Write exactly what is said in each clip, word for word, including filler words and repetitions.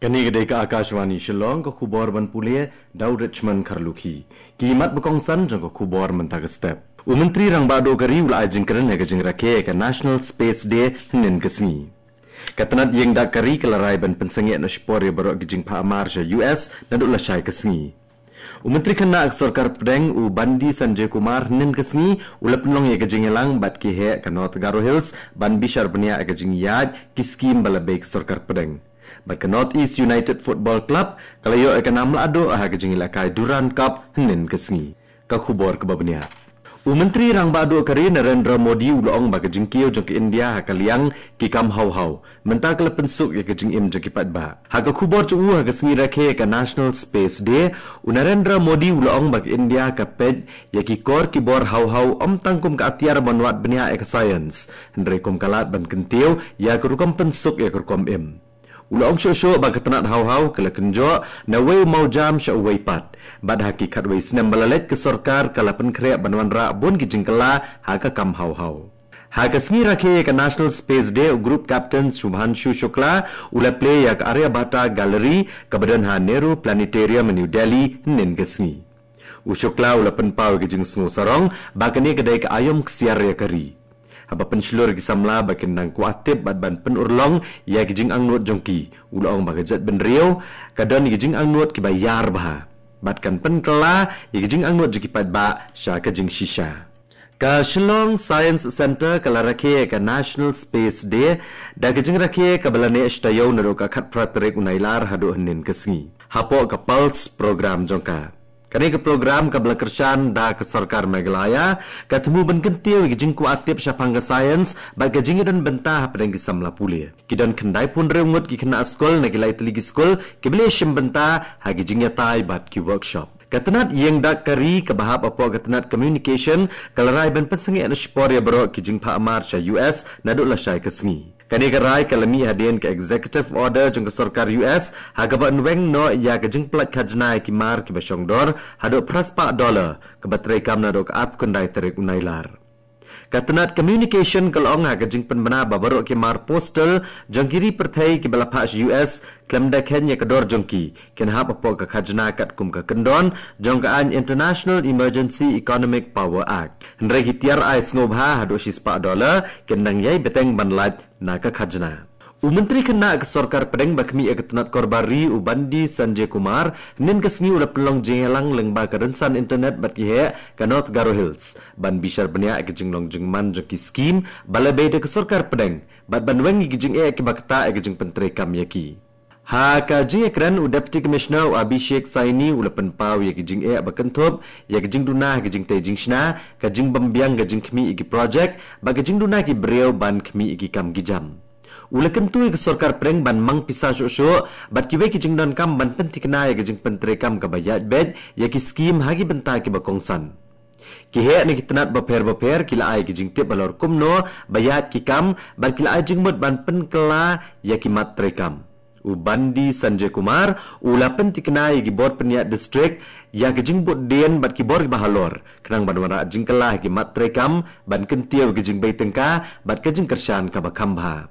Kane ka dei ka Akashvani Shillong, ka khubor ban pule da u Richmond Kharlukhi. Ki mat ba kongsan jong ka khubor mynta ka step. U Myntri Rangbah Duh ka ri u la ai jingkren ha ka jingrakhe ïa ka National Space Day hynnin ka sngi. Ka tnat ïing dak ka ri ka la rai ban pynsangeh na shipor ïa baroh ki jingphah mar sha U S naduh lashai ka sngi. U Myntri Khynnah ka Sorkar Pdeng u Bandi Sanjay Kumar hynnin ka sngi u la pynlong ïa ka jingïalang bad ki heh ka North Garo Hills ban bishar bniah ïa ka jingïaid ki skim ba la bei ka Sorkar Pdeng. Bad ka North East United Football Club ka la ïoh ïa ka nam la duh ha ka jingïalehkai Durand Cup hynnin ka sngi. Ka khubor kaba bniah. U Myntri Rangbah Duh ka ri Narendra Modi u la ong ba ka jingkiew jong ka India ha ka liang ki kam haw haw mynta ka la pynsuk ïa ka jingim jong ki paidbah. Ha ka khubor jong u ha ka sngi rakhe ka National Space Day, u Narendra Modi u la ong ba ka India ka peit ïa ki kor ki bor haw haw ym tang kum ka atiar ban wad bniah ïa ka science, hynrei kum ka lad ban kyntiew ïa ka rukom pynsuk ïa ka rukom im. U la ong shuh shuh ba ka tnat haw haw ka la kynjoh na wei u mawjam sha uwei pat. Bad ha ki khatwei snem ba la leit ka sorkar ka la pynkhreh ban wanrah bun ki jingkylla ha ka kam haw haw. Ha ka sngi rakhe ïa ka National Space Day, u Group Captain Shubhanshu Shukla u la plie ïa ka Aryabhata Gallery kaba don ha Nehru Planetarium, New Delhi hynnin ka sngi. U Shukla u la pynpaw ïa ka jingsngew sarong ba kane ka dei ka aïom ksiar ïa ka ri. Haba pynshlur ïa ki samla ba kin nang kwah tip bad ban pynurlong ïa ki jingangnud jong ki, u la ong ba ka jaitbynriew ka don ïa ki jingangnud kiba ïar bha bad kan pynkylla ïa ki jingangnud jong ki paidbah sha ka jingshisha. Ka Shillong Science Centre ka la rakhe ïa ka National Space Day da ka jingrakhe kaba la neh shi taïew naduh ka khatphra tarik u Nailar haduh hynnin ka sngi hapoh ka PULSE program jong ka. Kane ka program kaba la kyrshan da ka sorkar Meghalaya ka thmu ban kyntiew ïa ka jingkwah tip shaphang ka science bad ka jingïadon bynta hapdeng ki samla pule. Ki don khyndaiphew hynriew ngut ki khynnah skul na ki lai tylli ki skul kiba la ïashim bynta ha ki jingïatai bad ki workshop. Ka tnat ïing dak ka ri kaba hap hapoh ka tnat communication ka la rai ban pynsangeh na shipor ïa baroh ki jingphah mar sha U S naduh lashai ka sngi. Kane ka rai ka la mih hadien ka executive order jong ka sorkar U S ha kaba yn weng noh ïa ka jingpyllait khajna ïa ki mar kiba shongdor haduh phra spah dollar, kaba treikam naduh ka arphew khyndai tarik u Nailar. Ka tnat communication ka la ong ha ka jingpynbna ba baroh ki mar postal jong ki ri pyrthei kiba la phah sha U S khlem da kheiñ ïa ka dor jong ki kin hap hapoh ka khajna katkum ka kyndon jong ka aiñ International Emergency Economic Power Act. Hynrei ki tiar ai sngewbha haduh shi spah dollar kin nang ïai bteng ban lait na ka khajna. U Myntri Khynnah ka Sorkar Pdeng ba khmih ïa ka tnat Korbar Ri u Bandi Sanjay Kumar hynnin ka sngi u la pynlong jingïalang lyngba ka rynsan internet bad ki heh ka North Garo Hills ban bishar bniah ïa ka jinglong jingman jong ki skim ba la bei da ka Sorkar Pdeng bad ban weng ïa ki jingeh kiba ktah ïa ka jingpyntreikam ïa ki. Ha ka jingïakren u Deputy Commissioner u Abhishek Saini u la pynpaw ïa ka jingeh ba kynthup ïa ka jingduna ha ka jingtei jingshna, ka jingbymbiang ka jingkhmih ïa ki projek bad ka jingduna ki briew ban khmih ïa ki kam ki jam. U la kyntu ïa ka Sorkar Pdeng ban mang pisa shuh shuh bad kiwei ki jingdonkam ban pynthikna ïa ka jingpyntreikam kaba ïaid beit ïa ki skim ha ki bynta kiba kongsan. Ki heh na ki tnat bapher bapher ki la ai ki jingtip halor kumno ba ïaid ki kam bad ki la ai jingmut ban pynkylla ïa ki mat treikam. U Bandi Sanjay Kumar u la pynthikna ïa ki bor pynïaid district ïa ka jingbud dien bad ki bor kiba halor khnang ban wanrah jingkylla ha ki mat treikam ban kyntiew ïa ka jingbei tyngka bad ka jingkyrshan kaba kham bha.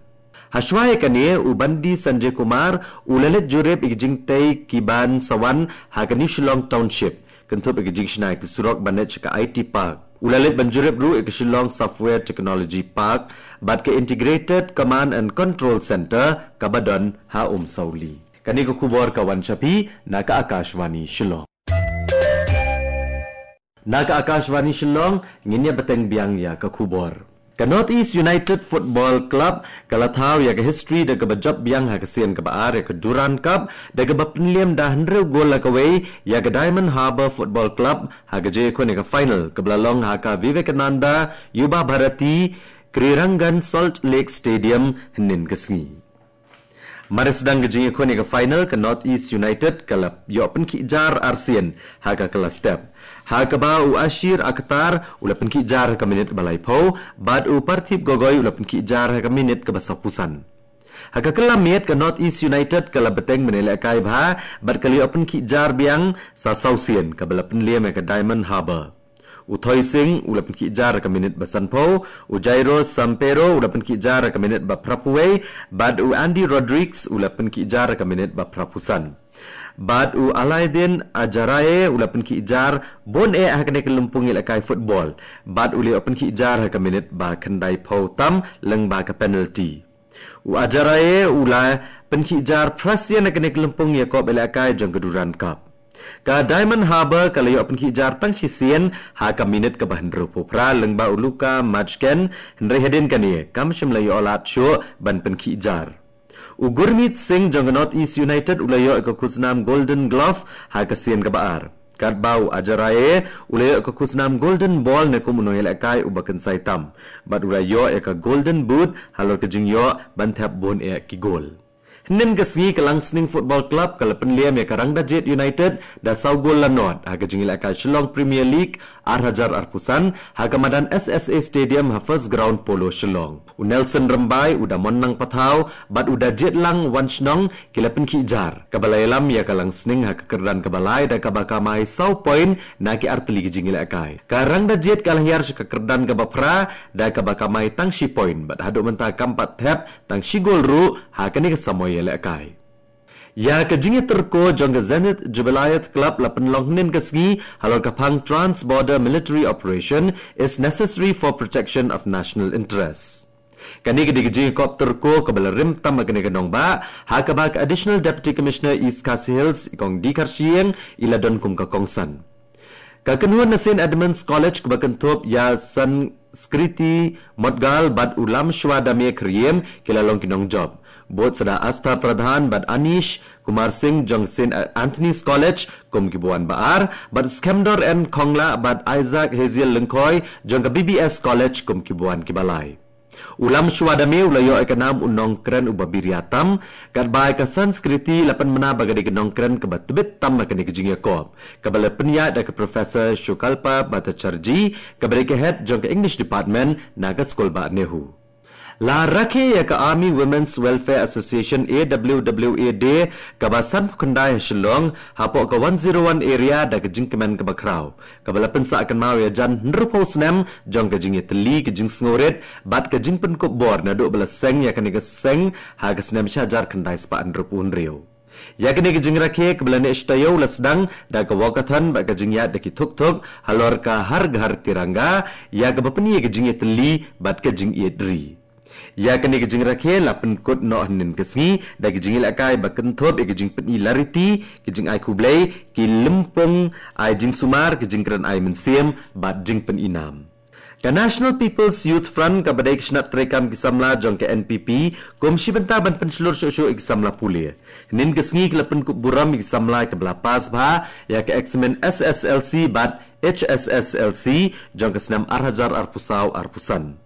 Hashwa ïa kane u Bandi Sanjay Kumar u la leit jurip ïa ka jingtei ki ban sa wan ha ka New Shillong Township, kynthup ïa ka jingshna ïa ka surok ban leit sha ka I T Park. U la leit ban jurip ruh ïa ka Shillong Software Technology Park bad ka Integrated Command and Control Centre kaba don ha Umsawli. Kane ka khubor ka wan sha phi na ka Akashvani Shillong. Na ka Akashvani Shillong ngin ïa bteng biang ïa ka khubor. Ka North East United Football Club ka la thaw ïa ka history da kaba jop biang ha ka sien kaba ar ïa ka Durand Cup da kaba pynliem da hynriew gol la kawei ïa ka Diamond Harbour Football Club ha ka jingïakhun ïa ka final kaba la long ha ka Vivekananda Yuba Bharati Krirangan Salt Lake Stadium hynnin ka sngi. Mar sdang ka jingïakhun ïa ka final ka North East United ka la ïoh pynkhih jar arsien ha ka kylla step, ha kaba u Ashir Akhtar u la pynkhih jar ha ka minit ba laiphew bad u Parthib Gogoi u la pynkhih jar ha ka minit kaba sawphew san. Ha ka kylla miet ka North East United ka la bteng ban ïalehkai bha bad ka la ïoh pynkhih jar biang sa sawsien kaba la pynliem ïa ka Diamond Harbour. U Thoi Singh u la pynkhih jar ha ka minit ba sanphew, u Jairo Sampero u la pynkhih jar ha ka minit ba phraphew wei, bad u Andy Rodrigues u la pynkhih jar ha ka minit ba phraphew san. Bad u Alaidin Ajaraye u la pynkhih jar bun eh ha kane ka lympung ïalehkai football, bad u la ïoh pynkhih jar ha ka minit ba khyndaiphew tam lyngba ka penalty. U Ajaraye u la pynkhih jar phra sien ha kane ka lympung ïakop ïalehkai jong ka Durand Cup. Ka Diamond Harbour ka la ïoh pynkhih jar tang shisien ha ka minit kaba hynriewphew phra lyngba u Luka Majken, hynrei hadien kane kam shym la ïoh lad shuh ban pynkhih jar. U Gurmeet Singh jong ka North East United u la ïoh ïa ka khusnam Golden Glove ha ka sien kaba ar. Katba u Ajaraye u la ïoh ïa ka khusnam Golden Ball ne kum u nongïalehkai uba kynsai tam, bad u la ïoh ïa ka Golden Boot halor ka jingïoh ban thep bun eh ki gol. Hynnin ka sngi ka Langsning Football Club ka la pynlem ïa ka Rangdajied United da saw gol la nod ha ka jingïalehkai Shillong Premier League ar hajar arphew san ha ka madan S S A Stadium ha First Ground Polo Shillong. U Nelson Rymbai, u Damonnang Pathaw bad u Dajiedlang Wanshnong ki la pynkhih jar, kaba la ïalam ïa ka Langsning ha ka kyrdan kaba lai da kaba kamai saw point na ki artylli ki jingïalehkai. Ka Rangdajied ka la hiar sha ka kyrdan kaba phra da kaba kamai tang shi point, bad haduh mynta kam pat thep tang shi gol ruh ha kane ka samoi ïalehkai. Ïa ka jingïatyrko jong ka Zenith Jubilee Club la pynlong hynnin ka sngi halor ka phang Trans Border Military Operation is necessary for protection of national interests. Kane ka dei ka jingïakop tyrko kaba la rim tam ha kane ka nongbah, ha kaba ka Additional Deputy Commissioner East Khasi Hills, i Kong D Kharshiing, i la don kum ka kongsan. Ka kynhun na Saint Edmund's College kaba kynthup ïa Sanskriti Motgal bad u Lamshwa Dame Kyriem ki la long ki nongjop. Bud sa da Astha Pradhan bad Anish Kumar Singh jong Saint Anthony's College kum kiba wan ba ar, bad Skemdor N Khongla bad Isaac Haziel Lyngkhoi jong ka B B S College kum kiba wan kiba lai. U Lamshwa Dame u la ïoh ïa ka nam u nongkren uba biria tam, katba ïa ka Sanskriti la pynbna ba ka dei ka nongkren kaba tbit tam ha kane ka jingïakop, kaba la pynïaid da ka Professor Shukalpa Bhattacharjee, kaba dei ka head jong ka English Department na ka skul bah NEHU. La rakhe ïa ka Army Women's Welfare Association, A W W A Day, kaba sanphew khyndai ha Shillong, hapoh ka one zero one area da ka jingkmen kaba khraw, kaba la pynsah kynmaw ïa jan hynriewphew snem jong ka jingïatylli, ka jingsngewrit bad ka jingpynkup bor naduh ba la seng ïa kane ka seng ha ka snem shi hajar khyndai spah hynriewphew hynriew. Ïa kane ka jingrakhe kaba la neh shi taïew la sdang da ka walkathon bad ka jingïaid da ki thuk thuk halor ka Har Ghar Tiranga, ïa kaba pyni ïa ka jingïatylli bad ka jingïeit ri. Ïa kane ka jingrakhe la pynkut noh hynnin ka sngi da ka jingïalehkai ba kynthup ïa ka jingpyni lariti, ka jingai khublei, ki lympung ai jingsumar, ka jingkren ai mynsiem bad jingpyni nam. Ka National People's Youth Front kaba dei ka shnat treikam ki samla jong ka N P P kum shi bynta ban pynshlur shuh shuh ïa ki samla pule, hynnin ka sngi ka la pynkup burom ïa ki samla kiba la pass bha ïa ka eksamin S S L C bad H S S L C jong ka snem ar hajar arphew saw arphew san.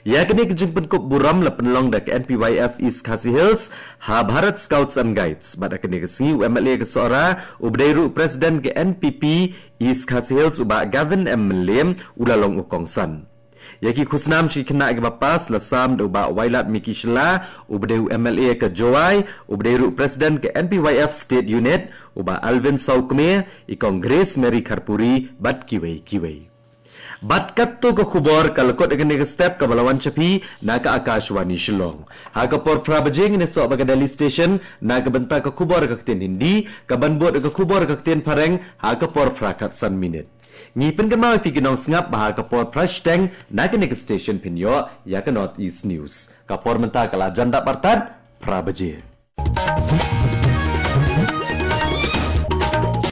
Ïa kane ka jingpynkup burom la pynlong da ka N P Y F East Khasi Hills ha Bharat Scouts and Guides, bad ha kane ka sngi u M L A ka Sohra uba dei ruh u President ka N P P East Khasi Hills u Bah Gavin M Mylliem u la long u kongsan. Ïa ki khusnam sha ki khynnah kiba pass la sam da u Bah Wailadmiki Shylla uba dei u M L A ka Jowai, uba dei ruh u President ka N P Y F State Unit, u Bah Alvin Sawkmie, i Kong Grace Mary Kharpuri bad kiwei kiwei. Bad katto ka khubor ka la kut ha kane ka step kaba la wan sha phi na ka Akashvani Shillong. Ha ka por phra baje ngin ïasoh bad ka Delhi Station na ka bynta ka khubor ha ka ktien Hindi, kaban bud ka khubor ha ka ktien Phareng ha ka por phra khatsan minit. Ngi pynkynmaw ïa phi ki nongsngap ba ha ka por phra shiteng na kane ka station phin ïoh ïa ka North East News. Ka por mynta ka la jan dap artat phra baje.